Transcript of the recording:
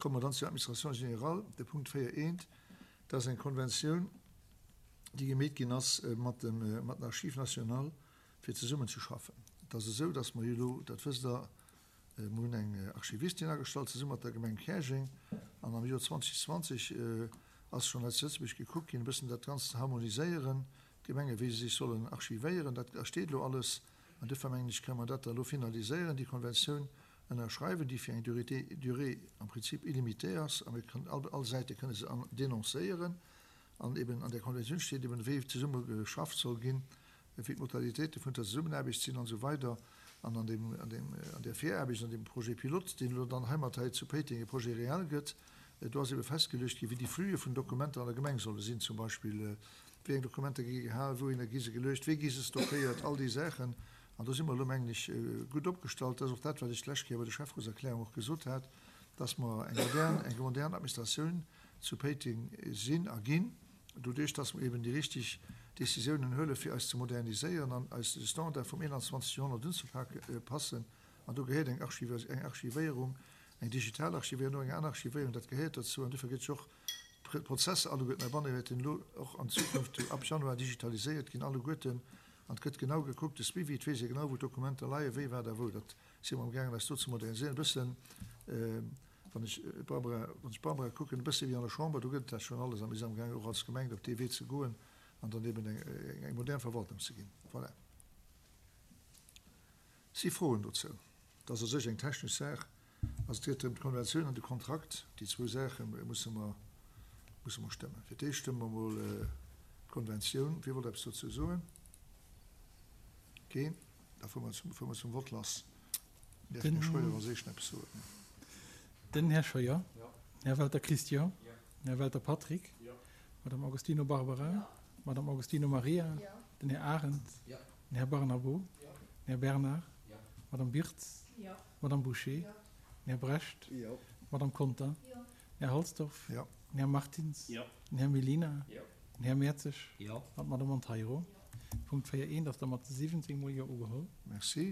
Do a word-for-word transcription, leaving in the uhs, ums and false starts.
Komme mer dann zur Administration générale, de Punkt véier eent. Dat ass eng Konventioun, déi gemeet ginn ass mat dem, mat den Archives nationales, fir zesummenzeschaffen. Et ass esou, dass mer jo elo, dat wësst Der, mer hunn eng Archivistin agestallt zesumme mat der Gemeng Käerjeng an am Joer zweitausendzwanzeg ass schonn hei zu Lëtzebuerg gekuckt ginn, e bëssen dat Ganzt ze harmoniséieren, d'Gemenge wéi se sech sollen archivéieren. Dat steet elo alles an duerfir mengen ech, kënne mer dat da elo finaliséieren, déi Konventioun ënnerschreiwen, déi fir eng Durée, durée am Prinzip illimitée ass a mir kënnen all, all Säite kënne se denoncéieren. An eben an där Konventioun steet eben, wéi zesumme geschafft soll ginn, wéi d'Modalitéite vun der Zesummenaarbecht sinn an esou weider. An an deem, an deem, an där Viraarbecht, an deem Projet pilote, deen elo dann heimat hei zu Péiteng e Projet réel gëtt, do ass ebe festgeluecht ginn, wéi déi Flüe vun Dokumenter an der Gemeng solle sinn, zum Beispill, wéi eng Dokumenter gi gehal, wouhinner gi se geluecht, wéi gi se stockéiert, all déi Saachen. An do si mer elo, mengen ech, gutt opgestallt. Dat ass och dat, wat ech d'lescht Kéier bei der Schäfferotserklärung och gesot hat, dass mer eng modern, eng modern Administratioun zu Péiteng sinn a ginn, doduerch dass mer eben déi richtig Décisiounen huelen, fir eis ze moderniséieren an eis de Standard vum einundzwanzegsten Joerhonnert unzepassen. An do gehéiert eng Archiv, eng Archivéierung, eng digital Archivéierung, och eng aner Archivéierung, dat gehéiert dozou. An dofir gëtt sech och d'Prozesser alleguerten heibanne wäerten elo och an Zukunft ab Januar digitaliséiert ginn, alleguerten. An et gëtt genau gekuckt, de Suivi, et weess ee genau, wou d'Dokumenter leien, wéi, wat a wou. Dat si mer amgaangen, eis do ze moderniséieren. E bëssen, wann ech d'Barbara, wann ech d'Barbara kucken, e bësse wéi an der Chamber, do gëtt et dat schonn alles. A mir sinn amgaangen, och als Gemeng op dee Wee ze goen an dann eben eng, eng modern Verwaltung ze ginn. Voilà. Si Froen dozou? Dat ass u sech eng technesch Saach. Also et geet drëm, d'Konventioun an de Kontrakt, déi zwou Saache musse mer, musse mer stëmmen. Fir d'éischt stëmme mer emol d'Konventioun. Wie wollt eppes dozou soen? Keen? Da fuere mer zum, fuere mer zum Vott lass. Däerf den Här Scheuer als éischten eppes soen? Den Här Scheuer. Den Här Welter Christian. Den Här Welter Patrick. Madame Agostino Barbara. Madame Agostino Maria. Den Här Arendt. Den Här Barnabo. Den Här Bernard. Madame Birtz. Madame Bouché. Den Här Brecht. Madame Conter. Den Här Halsdorf. Den Här Martins. Den Här Mellina. Den Här Mertzig. An d'Madame Monteiro. Punkt véier eent ass da mat siwwenzéng mol Jo ugeholl. Merci.